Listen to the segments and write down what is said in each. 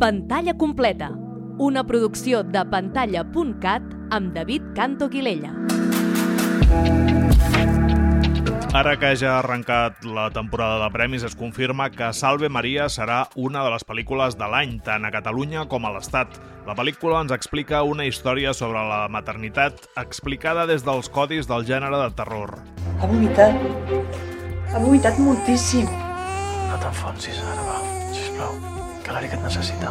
Pantalla completa, una producció de pantalla.cat amb David Canto Guilella. Ara que ja ha arrencat la temporada de premis, es confirma que Salve Maria serà una de les pel·lícules de l'any, tant a Catalunya com a l'Estat. La pel·lícula ens explica una història sobre la maternitat explicada des dels codis del gènere de terror. Ha vomitat moltíssim. No t'enfonsis ara, va, sisplau, que l'Eric et necessita.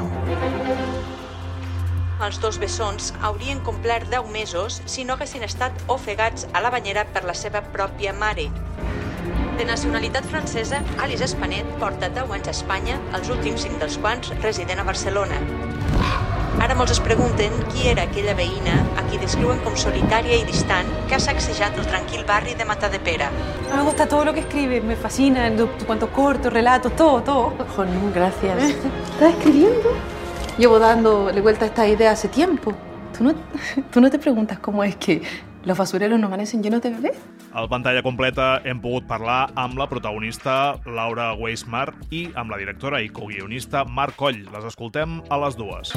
Els dos bessons haurien complert 10 mesos si no haguessin estat ofegats a la banyera per la seva pròpia mare. De nacionalitat francesa, Alice Espanet porta 10 anys a Espanya, els últims 5 dels quals residint a Barcelona. Ara molts es pregunten qui era aquella veïna a qui descriuen com solitària i distant que ha sacsejat el tranquil barri de Matadepera. Me gusta todo lo que escribe, me fascina, cuantos cortos, relatos, todo. Oh, no, gracias. ¿Estás escribiendo? Llevo dándole vuelta a esta idea hace tiempo. ¿Tú no te preguntas cómo es que los basureros no amanecen llenos de bebés? Al Pantalla Completa hem pogut parlar amb la protagonista Laura Weismar i amb la directora i coguionista Marc Coll. Les escoltem a les dues.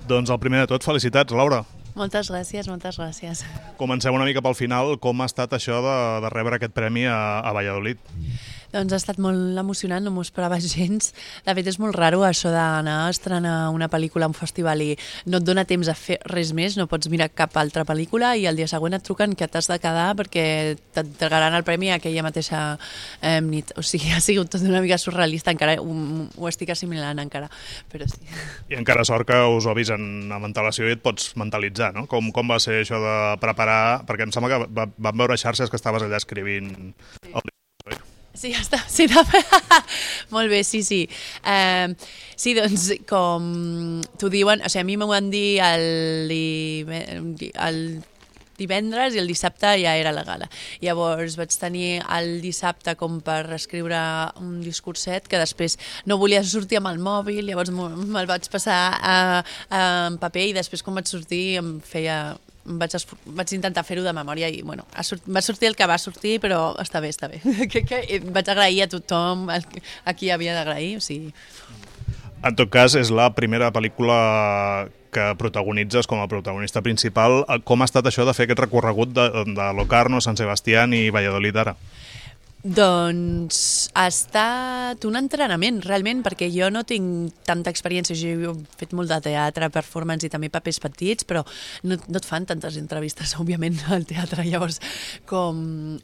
Doncs el primer de tot, felicitats, Laura. Moltes gràcies, moltes gràcies. Comencem una mica pel final. Com ha estat això de rebre aquest premi a Valladolid? Doncs ha estat molt emocionant, no m'ho esperava gens. De fet, és molt raro això d'anar a estrenar una pel·lícula a un festival i no et dona temps a fer res més, no pots mirar cap altra pel·lícula i el dia següent et truquen que t'has de quedar perquè t'entregaran el premi aquella mateixa nit. O sigui, ha sigut tot una mica surrealista, encara ho estic assimilant encara, però sí. I encara sort que us ho avisen amb antelació i et pots mentalitzar, no? Com va ser això de preparar... Perquè em sembla que vam veure xarxes que estaves allà escrivint el Sí, ja està. Sí, molt bé, sí. Sí, doncs, com t'ho diuen, o sigui, a mi m'ho van dir el divendres i el dissabte ja era la gala. Llavors vaig tenir el dissabte com per escriure un discurset que després no volia sortir amb el mòbil, llavors me'l vaig passar en paper i després quan vaig sortir vaig intentar fer-ho de memòria i bueno, va sortir el que va sortir, però està bé. Vaig agrair a tothom a qui havia d'agrair. O sigui. En tot cas, és la primera pel·lícula que protagonitzes com a protagonista principal. Com ha estat això de fer aquest recorregut de Locarno, Sant Sebastián i Valladolid ara? Doncs ha estat un entrenament, realment, perquè jo no tinc tanta experiència. Jo he fet molt de teatre, performance i també papers petits, però no et fan tantes entrevistes, òbviament, al teatre. Llavors, com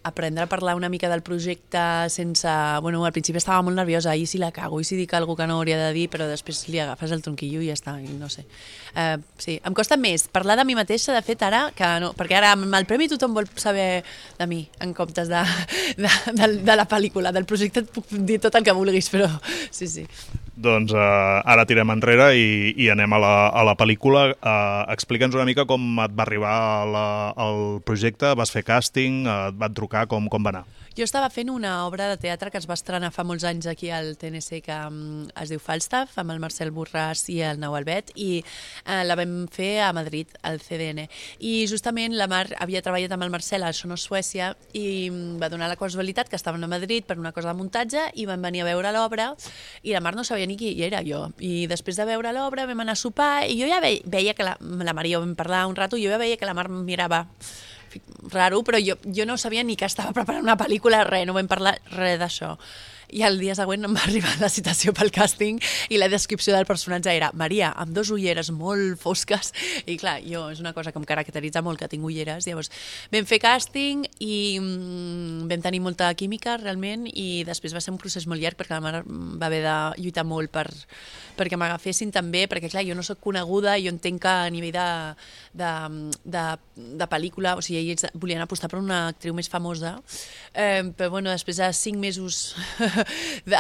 aprendre a parlar una mica del projecte sense... Bueno, al principi estava molt nerviosa, i si la cago, i si dic alguna cosa que no hauria de dir, però després li agafes el tronquillo i ja està, i no sé. Sí, em costa més parlar de mi mateixa, de fet, ara, que no, perquè ara amb el premi tothom vol saber de mi, en comptes de la pel·lícula, del projecte et puc dir tot el que vulguis, però sí. Doncs ara tirem enrere i anem a la pel·lícula. Explica'ns una mica com et va arribar el projecte, vas fer càsting, et van trucar, com va anar? Jo estava fent una obra de teatre que es va estrenar fa molts anys aquí al TNC que es diu Falstaff, amb el Marcel Borràs i el Nau Albet, i la vam fer a Madrid, al CDN. I justament la Mar havia treballat amb el Marcel a Sonos Suècia i va donar la casualitat que estaven a Madrid per una cosa de muntatge i van venir a veure l'obra i la Mar no sabia ni qui era jo. I després de veure l'obra vam anar a sopar i jo ja veia que la Mar i jo vam parlar un rato i jo ja veia que la Mar em mirava raro, però jo no sabia ni que estava preparant una pel·lícula, no vam parlar res d'això. I el dia següent em va arribar la citació pel càsting i la descripció del personatge era Maria, amb 2 ulleres molt fosques, i clar, jo és una cosa que em caracteritza molt, que tinc ulleres. Llavors vam fer càsting i vam tenir molta química realment, i després va ser un procés molt llarg perquè la Mar va haver de lluitar molt perquè m'agafessin també, perquè clar, jo no soc coneguda i jo entenc que a nivell de pel·lícula, o sigui, ells volien apostar per una actriu més famosa, però bueno, després de 5 mesos de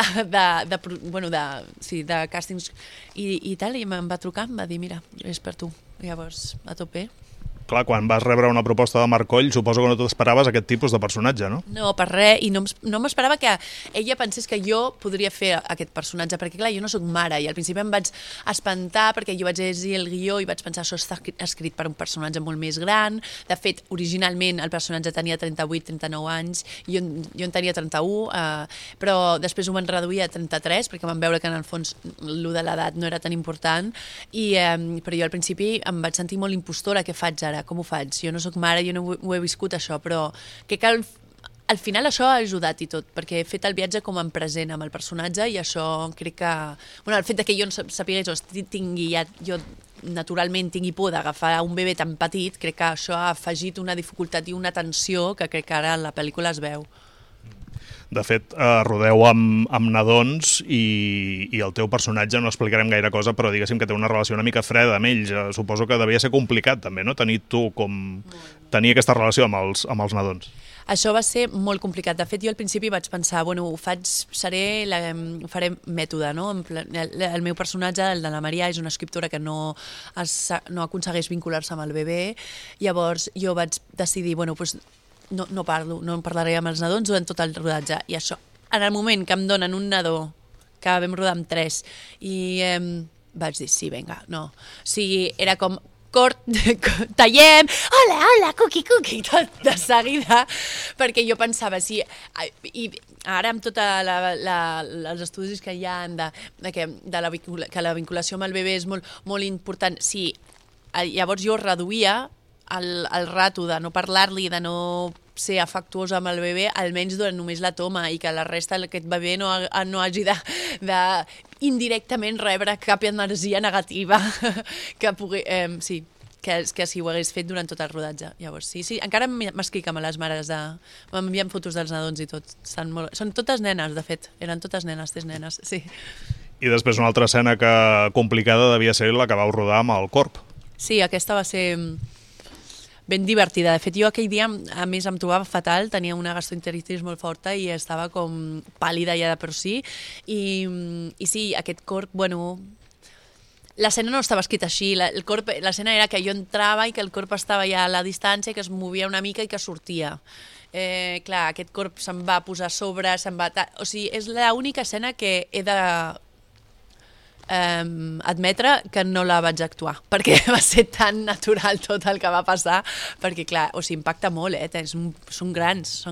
càstings i tal, i em va trucar, em va dir, mira, és per tu. Llavors, a tope. clar, quan vas rebre una proposta de Marc Coll, suposo que no t'esperaves aquest tipus de personatge, no? No, per res, i no m'esperava que ella pensés que jo podria fer aquest personatge, perquè clar, jo no sóc mare, i al principi em vaig espantar perquè jo vaig llegir el guió i vaig pensar això està escrit per un personatge molt més gran. De fet, originalment el personatge tenia 38-39 anys, jo en tenia 31, però després ho van reduir a 33 perquè van veure que en el fons lo de l'edat no era tan important, però jo al principi em vaig sentir molt impostora. Què faig ara? Com ho faig? Jo no sóc mare, jo no ho he viscut això, però crec que al final això ha ajudat i tot, perquè he fet el viatge com en present amb el personatge i això crec que... Bueno, el fet que jo no sapigués o jo naturalment tingui por d'agafar un bebè tan petit, crec que això ha afegit una dificultat i una tensió que crec que ara en la pel·lícula es veu. De fet, rodeu amb nadons i el teu personatge, no explicarem gaire cosa, però diguéssim que té una relació una mica freda amb ells. Suposo que devia ser complicat també, no? Tenir aquesta relació amb els nadons. Això va ser molt complicat. De fet, jo al principi vaig pensar, bueno, ho faré mètode, no? El meu personatge, el de la Maria, és una escriptora que no aconsegueix vincular-se amb el bebè. Llavors jo vaig decidir, bueno, doncs no parlaré amb els nadons durant tot el rodatge. I això, en el moment que em donen un nadó, que vam rodar amb 3, i vaig dir, sí, vinga, no. O sigui, era com... tallem, hola, cuqui, tot de seguida, perquè jo pensava, sí, i ara amb tots els estudis que hi ha que la vinculació amb el bebè és molt, molt important, sí, llavors jo reduïa el rato de no parlar-li, de no ser afectuosa amb el bebè, almenys durant només la toma, i que la resta d'aquest bebè no hagi de indirectament rebre cap energia negativa que pugui... Sí, que si ho hagués fet durant tot el rodatge. Llavors, sí, encara m'escric amb les mares m'envien fotos dels nadons i tot. Són totes nenes, de fet. Eren totes nenes, 3 nenes, sí. I després una altra escena complicada devia ser la que vau rodar amb el corb. Sí, aquesta va ser ben divertida. De fet, jo aquell dia, a més, em trobava fatal, tenia una gastroenteritis molt forta i estava com pàl·lida ja de per si. I sí, aquest corb, bueno... L'escena no estava escrita així, l'escena era que jo entrava i que el corb estava ja a la distància, que es movia una mica i que sortia. Clar, aquest corb se'm va posar a sobre, o sigui, és l'única escena que he de admetre que no la vaig actuar, perquè va ser tan natural tot el que va passar, perquè clar, o sigui, impacta molt, són grans.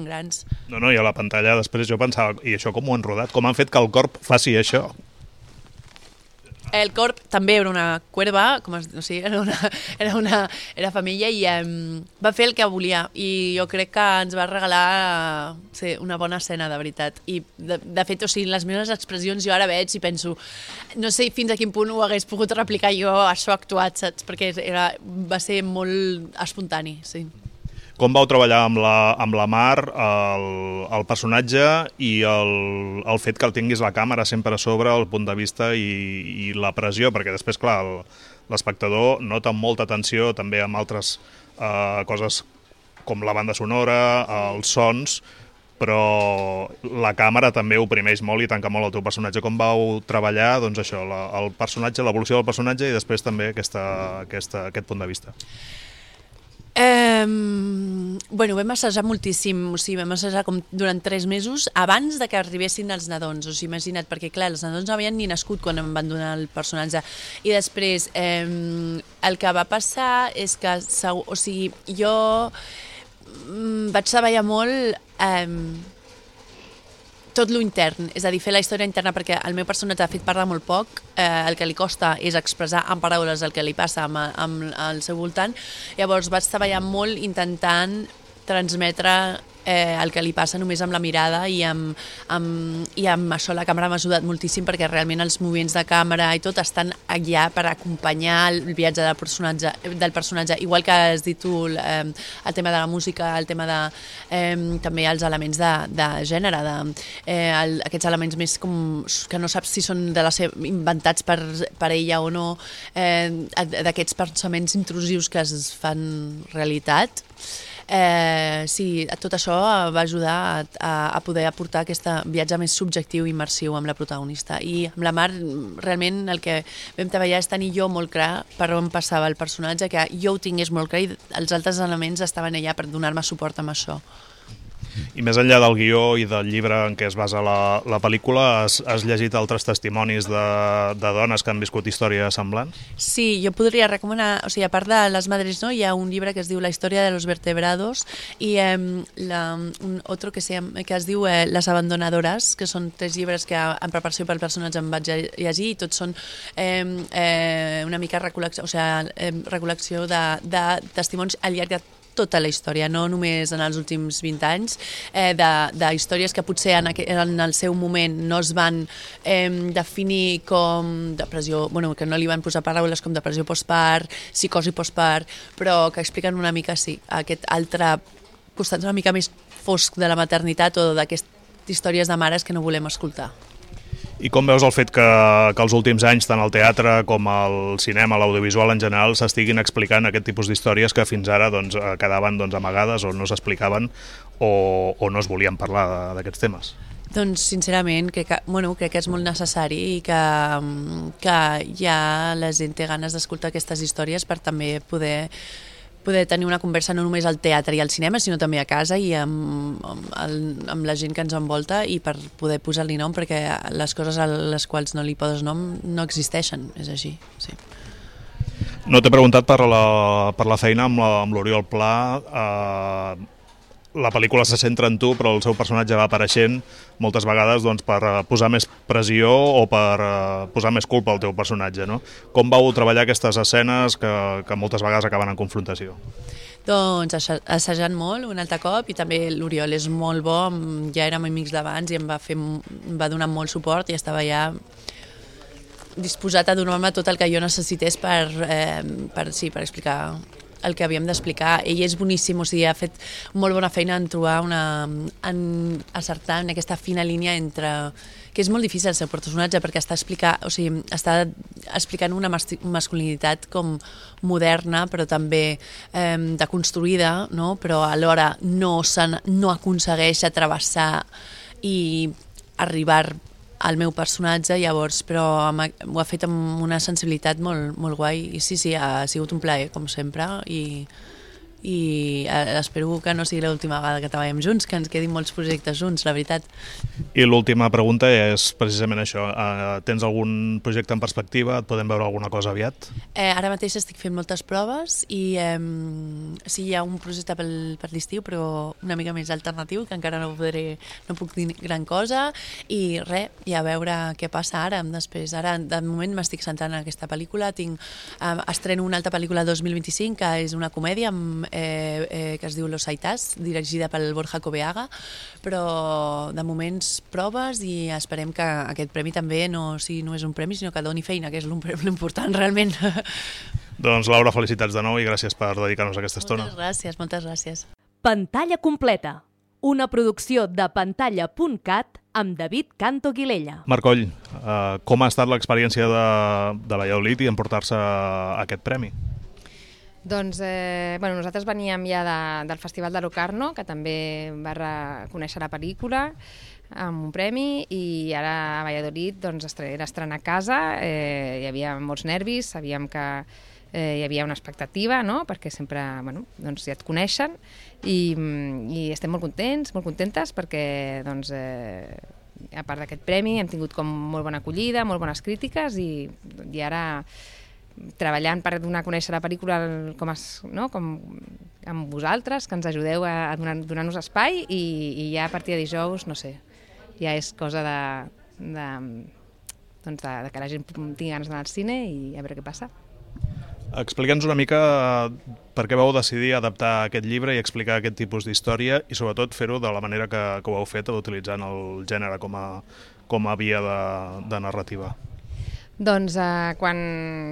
No, i a la pantalla després jo pensava, i això com ho han rodat? Com han fet que el corb faci això? El corb també era una cuerva, era femella i va fer el que volia i jo crec que ens va regalar una bona escena, de veritat. I de fet, o sigui, les meves expressions jo ara veig i penso, no sé fins a quin punt ho hagués pogut replicar jo això actuat, saps? Perquè va ser molt espontani, sí. Com vau treballar amb la Mar, el personatge i el fet que el tinguis la càmera sempre a sobre, el punt de vista i la pressió, perquè després, clar, l'espectador nota molta tensió també amb altres coses com la banda sonora, els sons, però la càmera també oprimeix molt i tanca molt el teu personatge. Com vau treballar, doncs això, el personatge, l'evolució del personatge i després també aquest punt de vista? Bueno, vam assajar moltíssim, o sigui, vam assajar com durant 3 mesos abans de que arribessin els nadons, o sigui, imagina't, perquè clar, els nadons no havien ni nascut quan em van donar el personatge. I després, el que va passar és que, o sigui, jo vaig treballar molt tot lo intern, és a dir, fer la història interna, perquè el meu personatge, de fet, parla molt poc, el que li costa és expressar en paraules el que li passa amb el seu voltant. Llavors vaig treballar molt intentant transmetre el que li passa només amb la mirada i amb això la càmera m'ha ajudat moltíssim, perquè realment els moviments de càmera i tot estan allà per acompanyar el viatge del personatge, igual que has dit tu, el tema de la música, el tema de també els elements de gènere, aquests elements més com que no saps si són inventats per ella o no, d'aquests pensaments intrusius que es fan realitat. Sí, tot això va ajudar a poder aportar aquest viatge més subjectiu i immersiu amb la protagonista. I amb la Mar, realment, el que vam treballar és tenir jo molt clar per on passava el personatge, que jo ho tingués molt clar i els altres elements estaven allà per donar-me suport amb això. I més enllà del guió i del llibre en què es basa la pel·lícula, has llegit altres testimonis de dones que han viscut històries semblants? Sí, jo podria recomanar, o sigui, a part de Les Madres, no, hi ha un llibre que es diu La història de los vertebrados i un altre que es diu Les abandonadores, que són 3 llibres que en preparació pel personatge em vaig llegir i tots són una mica recol·lecció de testimonis al llarg de tota la història, no només en els últims 20 anys, d'històries que potser en el seu moment no es van definir com depressió, bueno, que no li van posar paraules com depressió postpart, psicosi postpart, però que expliquen una mica, sí, aquest altre costat una mica més fosc de la maternitat o d'aquestes històries de mares que no volem escoltar. I com veus el fet que els últims anys, tant al teatre com al cinema, l'audiovisual en general, s'estiguin explicant aquest tipus d'històries que fins ara quedaven amagades o no s'explicaven o no es volien parlar d'aquests temes? Doncs, sincerament, crec que és molt necessari i que ja la gent té ganes d'escoltar aquestes històries per també poder tenir una conversa no només al teatre i al cinema, sinó també a casa i amb la gent que ens envolta i per poder posar-li nom, perquè les coses a les quals no li poses nom no existeixen, és així, sí. No t'he preguntat per la feina amb l'Oriol Pla. La pel·lícula se centra en tu, però el seu personatge va apareixent moltes vegades per posar més pressió o per posar més culpa al teu personatge, no? Com vau treballar aquestes escenes que moltes vegades acaben en confrontació? Doncs assajant molt un altre cop i també l'Oriol és molt bo, ja érem amics d'abans i em va donar molt suport i estava ja disposat a donar-me tot el que jo necessités per explicar el que havíem d'explicar. Ell és boníssim, o sigui, ha fet molt bona feina en trobar en acertar en aquesta fina línia entre que és molt difícil el seu personatge perquè està explicant una masculinitat com moderna però també deconstruïda, no? Però alhora no aconsegueix travessar i arribar al meu personatge, llavors, però ho ha fet amb una sensibilitat molt, molt guai i sí, ha sigut un plaer, com sempre, i espero que no sigui l'última vegada que treballem junts, que ens quedin molts projectes junts, la veritat. I l'última pregunta és precisament això. Tens algun projecte en perspectiva? Et podem veure alguna cosa aviat? Ara mateix estic fent moltes proves i sí, hi ha un projecte per l'estiu, però una mica més alternatiu, que encara no puc dir gran cosa, i res, i a veure què passa ara. Després, ara, de moment m'estic centrant en aquesta pel·lícula. Estreno una altra pel·lícula 2025, que és una comèdia que es diu Los Aitás, dirigida pel Borja Coveaga, però de moments proves i esperem que aquest premi també no és un premi, sinó que doni feina, que és l'important realment. Doncs Laura, felicitats de nou i gràcies per dedicar-nos a aquesta estona. Moltes gràcies. Pantalla completa, una producció de pantalla.cat amb David Canto Guilella. Marc Coll, com ha estat l'experiència de Valladolid i emportar-se aquest premi? Doncs nosaltres veníem ja del Festival de Locarno, que també va reconèixer la pel·lícula amb un premi, i ara a Valladolid era estrenar a casa, hi havia molts nervis, sabíem que hi havia una expectativa, no? Perquè sempre ja et coneixen i estem molt contents, molt contentes perquè a part d'aquest premi hem tingut com molt bona acollida, molt bones crítiques i ara treballant per donar a conèixer la pel·lícula com amb vosaltres, que ens ajudeu a donar-nos espai, i ja a partir de dijous, no sé, ja és cosa de que la gent tingui ganes d'anar al cine i a veure què passa. Explica'ns una mica per què vau decidir adaptar aquest llibre i explicar aquest tipus d'història i sobretot fer-ho de la manera que ho heu fet, utilitzant el gènere com a via de narrativa. Doncs quan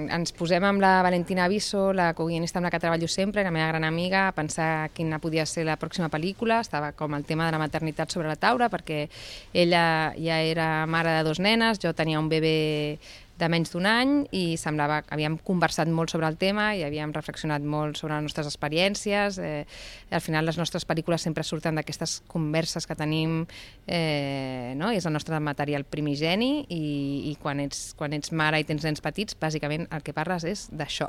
ens posem amb la Valentina Aviso, la coguionista amb la que treballo sempre, la meva gran amiga, a pensar quina podia ser la pròxima pel·lícula, estava com el tema de la maternitat sobre la taula, perquè ella ja era mare de 2 nenes, jo tenia un bebè de menys d'un any i semblava que havíem conversat molt sobre el tema i havíem reflexionat molt sobre les nostres experiències. Al final les nostres pel·lícules sempre surten d'aquestes converses que tenim, no? És el nostre material primigeni i quan ets mare i tens nens petits, bàsicament el que parles és d'això.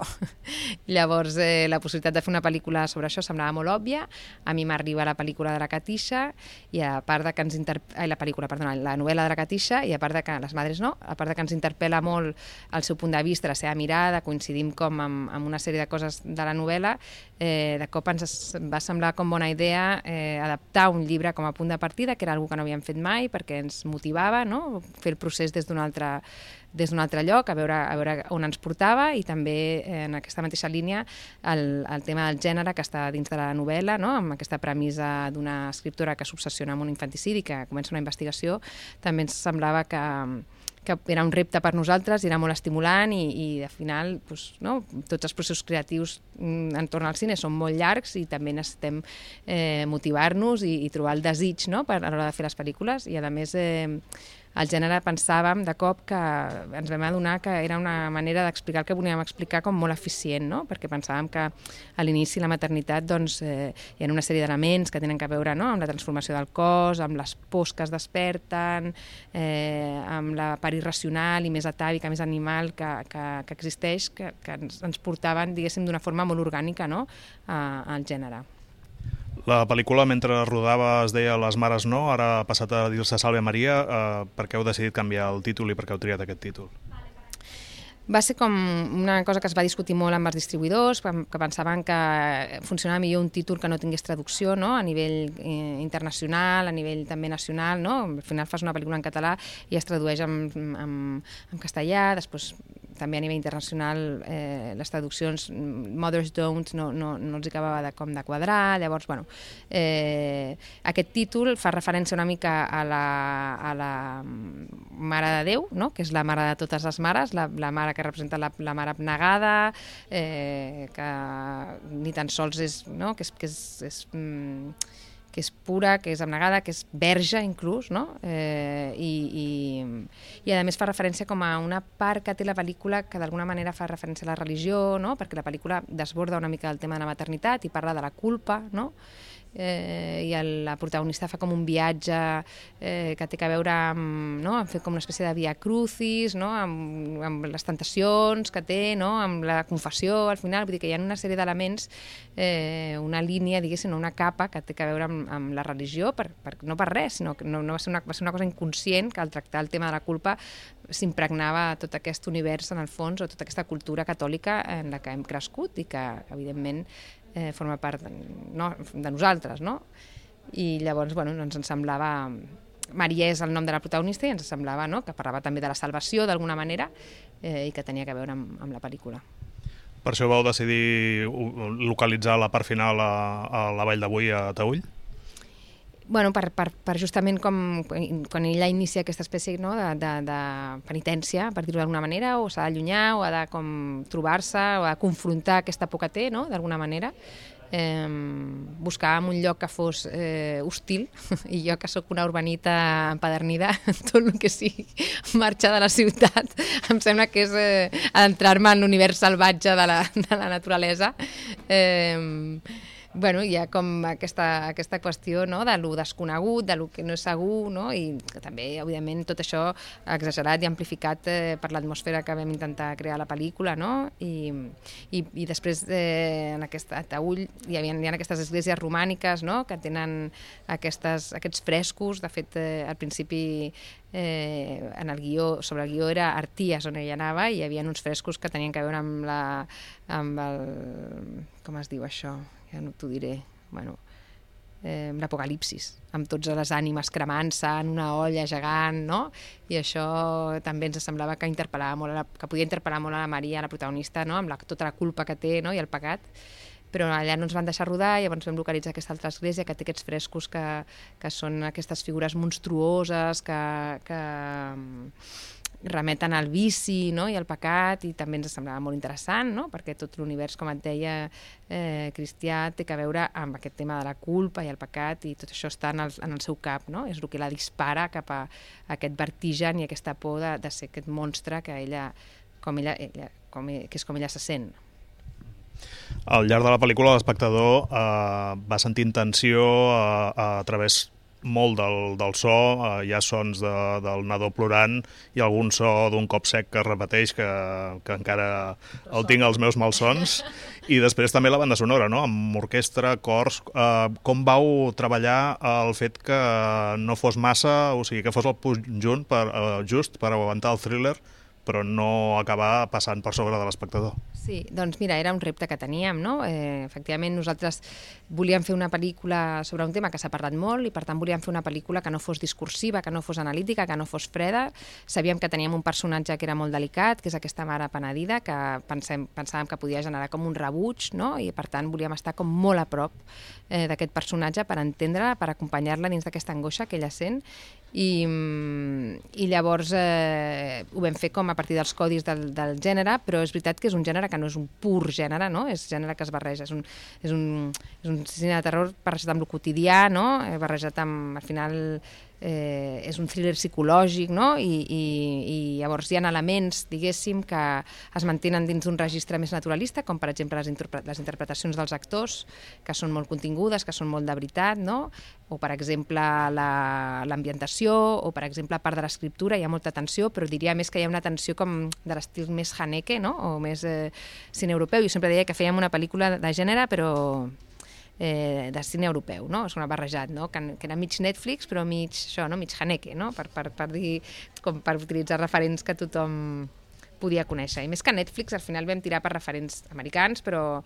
Llavors, la possibilitat de fer una pel·lícula sobre això semblava molt òbvia. A mi m'arriba la pel·lícula de la Katisha i a part de que la novel·la de la Katisha, i a part de que les madres no, a part de que ens interpel·la molt el seu punt de vista, la seva mirada, coincidim com amb una sèrie de coses de la novel·la, de cop ens va semblar com bona idea adaptar un llibre com a punt de partida, que era una cosa que no havíem fet mai, perquè ens motivava, no? Fer el procés des d'un altre lloc, a veure on ens portava, i també en aquesta mateixa línia el tema del gènere que està dins de la novel·la, no? Amb aquesta premissa d'una escriptora que s'obsessiona amb un infanticidi, que comença una investigació, també ens semblava que era un repte per nosaltres i era molt estimulant i al final no? Tots els processos creatius entorn al cine són molt llargs i també necessitem motivar-nos i trobar el desig, no? A l'hora de fer les pel·lícules, i a més el gènere pensàvem de cop que ens vam adonar que era una manera d'explicar el que volíem explicar com molt eficient, no? Perquè pensàvem que a l'inici la maternitat hi ha una sèrie d'elements que tenen a veure, no? Amb la transformació del cos, amb les pors que es desperten, amb la part irracional i més atàvica, més animal que existeix, que ens portaven, diguéssim, d'una forma molt orgànica, no? Al gènere. La pel·lícula, mentre rodava, es deia Les mares no, ara ha passat a dir-se Salve Maria. Per què heu decidit canviar el títol i per què heu triat aquest títol? Va ser com una cosa que es va discutir molt amb els distribuïdors, que pensaven que funcionava millor un títol que no tingués traducció, no? A nivell internacional, a nivell també nacional, no? Al final fas una pel·lícula en català i es tradueix en castellà, després també a nivell internacional les traduccions Mothers Don't no els acabava de quadrar. Llavors, bueno, aquest títol fa referència una mica a la Mare de Déu, no? Que és la mare de totes les mares, la mare que representa la mare abnegada, que ni tan sols és, no? que és pura, que és abnegada, que és verge inclús, no? I a més fa referència com a una part que té la pel·lícula que d'alguna manera fa referència a la religió, no? Perquè la pel·lícula desborda una mica del tema de la maternitat i parla de la culpa, no? I la protagonista fa com un viatge que té a veure amb fer com una espècie de via crucis, no? Amb les tentacions que té, no? Amb la confessió al final, vull dir que hi ha una sèrie d'elements, una línia, diguéssim, una capa que té a veure amb la religió, no per res, sinó que no va ser una cosa inconscient, que al tractar el tema de la culpa s'impregnava tot aquest univers en el fons, o tota aquesta cultura catòlica en la que hem crescut i que evidentment forma part de nosaltres, no? I llavors, bueno, ens semblava... Maria és el nom de la protagonista i ens semblava, no?, que parlava també de la salvació d'alguna manera i que tenia a veure amb la pel·lícula. Per això vau decidir localitzar la part final a la Vall d'Avui, a Taüll? Bueno, per justament quan ella inicia aquesta espècie, no, de penitència, per dir-ho d'alguna manera, o s'ha d'allunyar, o ha de trobar-se, o ha de confrontar aquesta por que té, no?, d'alguna manera. Buscàvem un lloc que fos hostil, i jo, que sóc una urbanita empadernida, tot el que sigui marxar de la ciutat em sembla que és adentrar-me en l'univers salvatge de la naturalesa. Bueno, hi ha com aquesta qüestió, no?, de lo desconegut, de lo que no és segur, no?, i també, evidentment, tot això exagerat i amplificat per l'atmosfera que vam intentar crear a la pel·lícula, no?, i després en a Taüll hi ha aquestes esglésies romàniques, no?, que tenen aquests frescos. De fet, al principi en el guió, sobre el guió era Arties, on ella anava, i hi havia uns frescos que tenien a veure amb el... com es diu això? Ja no t'ho diré, bueno, l'apocalipsis, amb totes les ànimes cremant-se en una olla gegant, no? I això també ens semblava que podia interpel·lar molt a la Maria, la protagonista, no?, amb tota la culpa que té, no?, i el pecat. Però allà no ens van deixar rodar, i llavors vam localitzar aquesta altra església que té aquests frescos que són aquestes figures monstruoses que remeten al vici, no?, i al pecat, i també ens semblava molt interessant, no?, perquè tot l'univers, com et deia, cristià, té a veure amb aquest tema de la culpa i el pecat, i tot això està en el seu cap, no?, és el que la dispara cap a aquest vertigen i aquesta por de ser aquest monstre que ella és com ella se sent. Al llarg de la pel·lícula l'espectador va sentint tensió a través molt del so, hi ha sons del nadó plorant i algun so d'un cop sec que es repeteix, que encara el tinc als meus malsons, i després també la banda sonora, no?, amb orquestra, cors. Com vau treballar el fet que no fos massa, o sigui, que fos el conjunt just per aguantar el thriller, però no acabar passant per sobre de l'espectador? Sí, doncs mira, era un repte que teníem, no? Efectivament, nosaltres volíem fer una pel·lícula sobre un tema que s'ha parlat molt i per tant volíem fer una pel·lícula que no fos discursiva, que no fos analítica, que no fos freda. Sabíem que teníem un personatge que era molt delicat, que és aquesta mare penedida, que pensàvem que podia generar com un rebuig, no? I per tant volíem estar com molt a prop d'aquest personatge per entendre-la, per acompanyar-la dins d'aquesta angoixa que ella sent. I llavors ho vam fer com a partir dels codis del gènere, però és veritat que és un gènere que no és un pur gènere, no? És gènere que es barreja, és un cine de terror barrejat amb el quotidià, no? Barrejat amb, al final, és un thriller psicològic, no? I llavors hi ha elements, diguéssim, que es mantenen dins d'un registre més naturalista, com per exemple les interpretacions dels actors, que són molt contingudes, que són molt de veritat, no? O per exemple l'ambientació, o per exemple part de l'escriptura, hi ha molta tensió, però diria més que hi ha una tensió com de l'estil més Haneke, no? O més cine europeu. Jo sempre deia que fèiem una pel·lícula de gènere, però de cine europeu, no? És una barrejat, no? Que era mig Netflix, però mig Haneke, no? Per dir, com per utilitzar referents que tothom podia conèixer. I més que Netflix, al final vam tirar per referents americans, però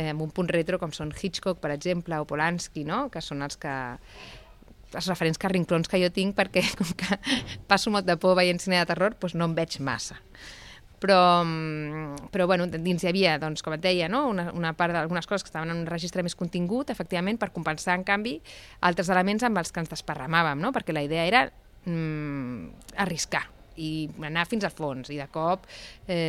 amb un punt retro, com són Hitchcock, per exemple, o Polanski, no? Que són els referents carrinclons que jo tinc, perquè com que passo molt de por veient cine de terror, doncs no em veig massa. Però bueno, dins hi havia, doncs, com et deia, no? una part d'algunes coses que estaven en un registre més contingut, efectivament, per compensar, en canvi, altres elements amb els que ens desparramàvem, no? Perquè la idea era arriscar i anar fins al fons, i de cop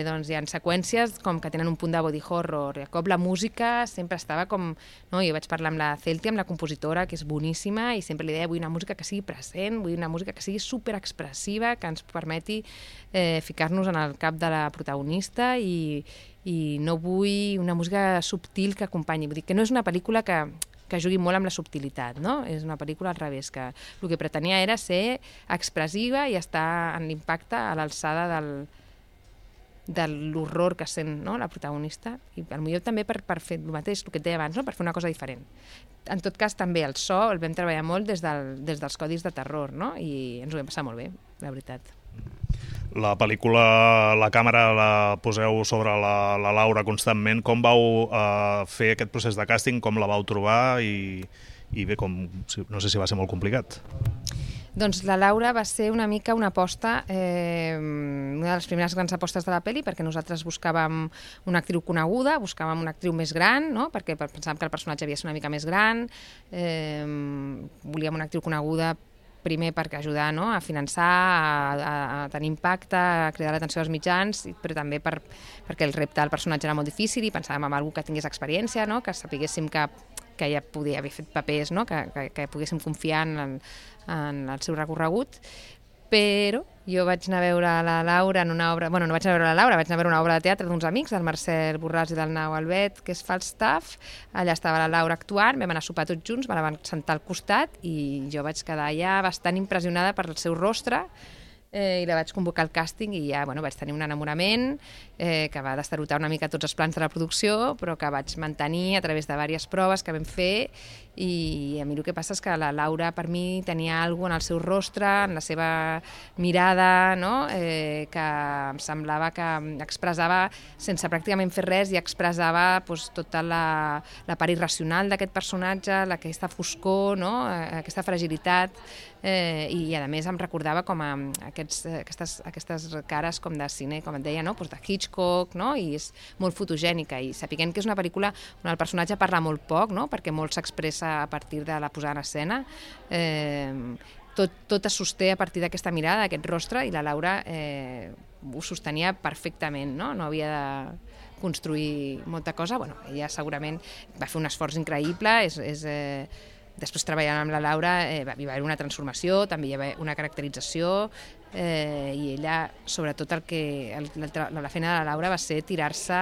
doncs hi ha seqüències com que tenen un punt de body horror, i de cop la música sempre estava com... No? Jo vaig parlar amb la Celti, amb la compositora, que és boníssima, i sempre li deia, vull una música que sigui present, vull una música que sigui superexpressiva, que ens permeti ficar-nos en el cap de la protagonista, i no vull una música subtil que acompanyi. Vull dir que no és una pel·lícula que jugui molt amb la subtilitat, no? És una pel·lícula al revés, que el que pretenia era ser expressiva i estar en l'impacte a l'alçada de l'horror que sent, no?, la protagonista, i potser també per fer el mateix, el que et deia abans, no?, per fer una cosa diferent. En tot cas, també el so el vam treballar molt des dels codis de terror, no?, i ens ho vam passar molt bé, la veritat. La pel·lícula, la càmera la poseu sobre la Laura constantment. Com vau fer aquest procés de càsting? Com la vau trobar? I bé, no sé si va ser molt complicat. Doncs la Laura va ser una mica una aposta, una de les primeres grans apostes de la pel·li, perquè nosaltres buscàvem una actriu coneguda, buscàvem una actriu més gran, no? Perquè pensàvem que el personatge havia de ser una mica més gran, volíem una actriu coneguda primer perquè ajudar, no?, a finançar, a tenir impacte, a cridar l'atenció dels mitjans, però també perquè el repte del personatge era molt difícil i pensàvem en algú que tingués experiència, no?, que sapiguéssim que ella podia haver fet papers, no?, que poguéssim confiar en el seu recorregut. Però jo vaig anar a veure la Laura en una obra... Bueno, no vaig anar a veure la Laura, vaig anar a veure una obra de teatre d'uns amics, del Marcel Borràs i del Nau Albet, que és Falstaff. Allà estava la Laura actuant, vam anar a sopar tots junts, me la van sentar al costat i jo vaig quedar ja bastant impressionada per el seu rostre, i la vaig convocar al càsting i ja vaig tenir un enamorament que va destarotar una mica tots els plans de la producció, però que vaig mantenir a través de diverses proves que vam fer, i a mi el que passa és que la Laura per mi tenia alguna cosa en el seu rostre, en la seva mirada, no?, que em semblava que expressava sense pràcticament fer res, i expressava tota la part irracional d'aquest personatge, aquesta foscor, no?, aquesta fragilitat, i a més em recordava com a aquestes cares com de cine, com et deia, no?, de Hitchcock, no?, i és molt fotogènica, i sapiguem que és una pel·lícula on el personatge parla molt poc, no?, perquè molt s'expressa a partir de la posada en escena. tot es sosté a partir d'aquesta mirada, d'aquest rostre, i la Laura ho sostenia perfectament, no? No havia de construir molta cosa. Bueno, ella segurament va fer un esforç increïble, després treballant amb la Laura hi va haver una transformació, també hi va haver una caracterització, i ella, sobretot la feina de la Laura va ser tirar-se,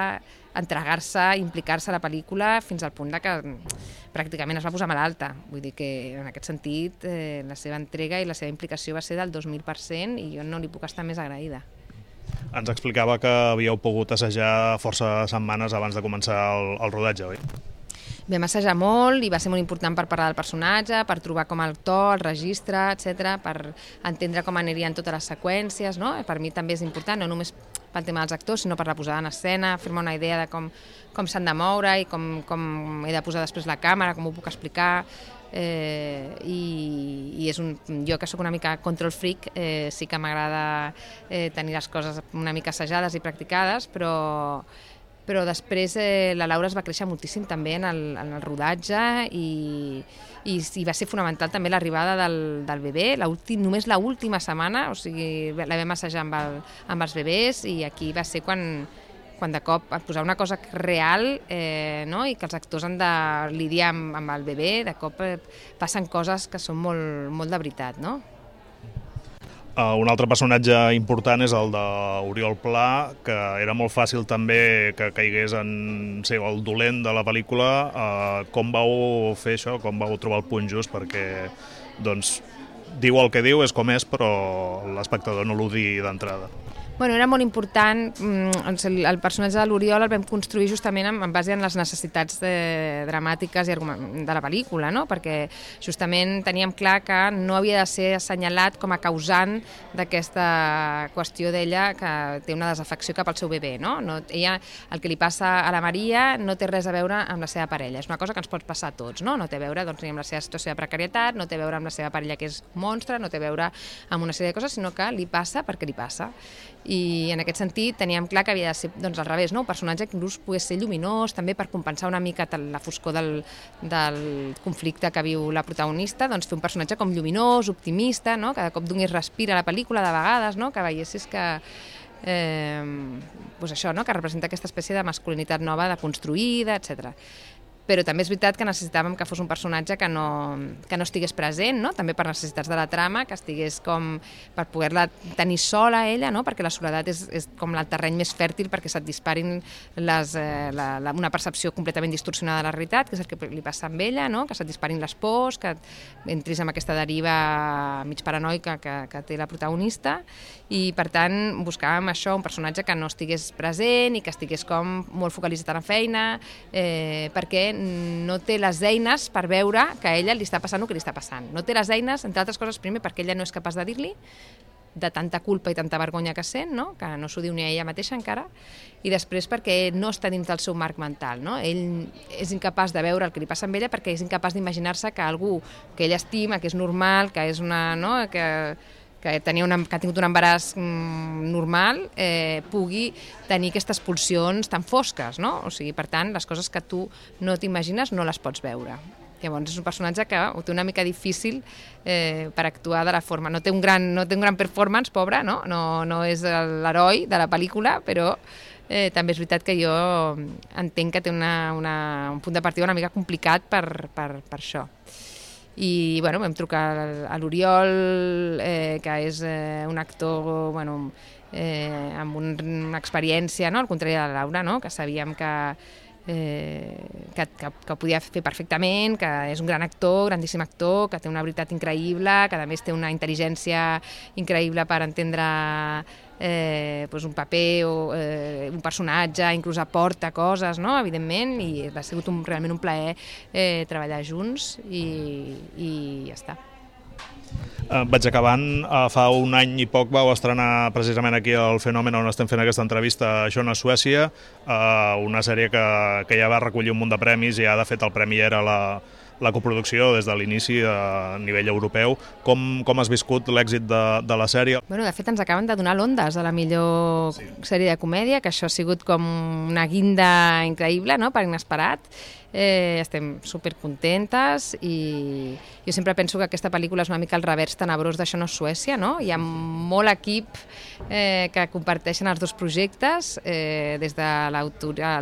entregar-se, implicar-se a la pel·lícula fins al punt que pràcticament es va posar malalta. Vull dir que en aquest sentit la seva entrega i la seva implicació va ser del 2000% i jo no li puc estar més agraïda. Ens explicava que havíeu pogut assajar força setmanes abans de començar el rodatge, oi? Vam assajar molt i va ser molt important per parlar del personatge, per trobar com el to, el registre, etc, per entendre com anirien totes les seqüències, no? Per mi també és important, no només pel tema dels actors, sinó per la posada en escena, fer-me una idea de com s'han de moure i com he de posar després la càmera, com ho puc explicar. I jo que sóc una mica control freak, sí que m'agrada tenir les coses una mica assajades i practicades, però després la Laura es va créixer moltíssim també en el rodatge i va ser fonamental també l'arribada del bebè, només l'última setmana, o sigui, la vam assajar amb els bebès, i aquí va ser quan de cop posar una cosa real, no? I que els actors han de lidiar amb el bebè, de cop passen coses que són molt de veritat, no? Un altre personatge important és el d'Oriol Pla, que era molt fàcil també que caigués en ser el dolent de la pel·lícula. Com vau fer això? Com vau trobar el punt just? Perquè doncs, diu el que diu, és com és, però l'espectador no l'ho digui d'entrada. Bueno, era molt important, el personatge de l'Oriol el vam construir justament en base a les necessitats dramàtiques de la pel·lícula, no? Perquè justament teníem clar que no havia de ser assenyalat com a causant d'aquesta qüestió d'ella que té una desafecció cap al seu bebè, no? Ella, el que li passa a la Maria no té res a veure amb la seva parella, és una cosa que ens pot passar a tots, no? No té a veure ni amb la seva situació de precarietat, no té a veure amb la seva parella que és monstre, no té a veure amb una sèrie de coses, sinó que li passa perquè li passa. I en aquest sentit teníem clar que havia de ser al revés, un personatge que inclús pogués ser lluminós, també per compensar una mica la foscor del conflicte que viu la protagonista, fer un personatge com lluminós, optimista, que de cop donés respir a la pel·lícula de vegades, que veiessis que que representa aquesta espècie de masculinitat nova, deconstruïda, etc. Però també és veritat que necessitàvem que fos un personatge que no estigués present, també per necessitats de la trama, que estigués com per poder-la tenir sola ella, perquè la soledat és com el terreny més fèrtil perquè se't disparin una percepció completament distorsionada de la realitat, que és el que li passa amb ella, que se't disparin les pors, que entris en aquesta deriva mig paranoica que té la protagonista, i per tant buscàvem això, un personatge que no estigués present i que estigués com molt focalitzat en la feina, perquè no té les eines per veure que a ella li està passant el que li està passant. No té les eines, entre altres coses, primer perquè ella no és capaç de dir-li, de tanta culpa i tanta vergonya que sent, que no s'ho diu ni a ella mateixa encara, i després perquè no està dins del seu marc mental. Ell és incapaç de veure el que li passa amb ella perquè és incapaç d'imaginar-se que algú que ella estima, que és normal, que és que ha tingut un embaràs normal, pugui tenir aquestes pulsions tan fosques, O sigui, per tant, les coses que tu no t'imagines no les pots veure. Llavors és un personatge que ho té una mica difícil per actuar de la forma. No té un gran performance, pobre, no és l'heroi de la pel·lícula, però també és veritat que jo entenc que té un punt de partida una mica complicat per això. I vam trucar a l'Oriol, que és un actor amb una experiència, al contrari de la Laura, que sabíem que podia fer perfectament, que és un gran actor, grandíssim actor, que té una veritat increïble, que a més té una intel·ligència increïble per entendre un paper o un personatge, inclús aporta coses, evidentment, i ha sigut realment un plaer treballar junts i ja està. Vaig acabant. Fa un any i poc vau estrenar precisament aquí al Fenomen, on estem fent aquesta entrevista, Això no és Suècia, una sèrie que ja va recollir un munt de premis i ja de fet el premi era la coproducció des de l'inici a nivell europeu. Com has viscut l'èxit de la sèrie? De fet, ens acaben de donar l'Ondas de la millor sèrie de comèdia, que això ha sigut com una guinda increïble, per inesperat. estem supercontentes i jo sempre penso que aquesta pel·lícula és una mica el revers tenebrós d'Això no és Suècia, no? Hi ha molt equip que comparteixen els dos projectes, des de l'autora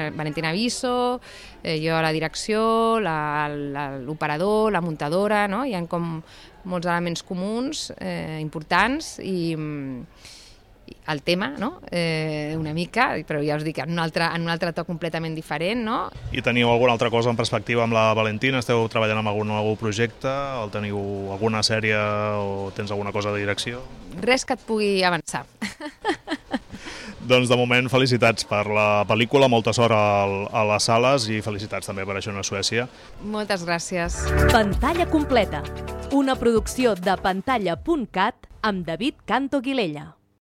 Valentina Viso, jo a la direcció, l'operador, la muntadora, no? Hi ha com molts elements comuns importants i el tema, no? Una mica, però ja us dic, en un altre to completament diferent, no? I teniu alguna altra cosa en perspectiva amb la Valentina? Esteu treballant amb algun projecte? O teniu alguna sèrie o tens alguna cosa de direcció? Res que et pugui avançar. Doncs de moment felicitats per la pel·lícula, molta sort a les sales i felicitats també per Això no és Suècia. Moltes gràcies. Pantalla completa, una producció de pantalla.cat amb David Canto Guilella.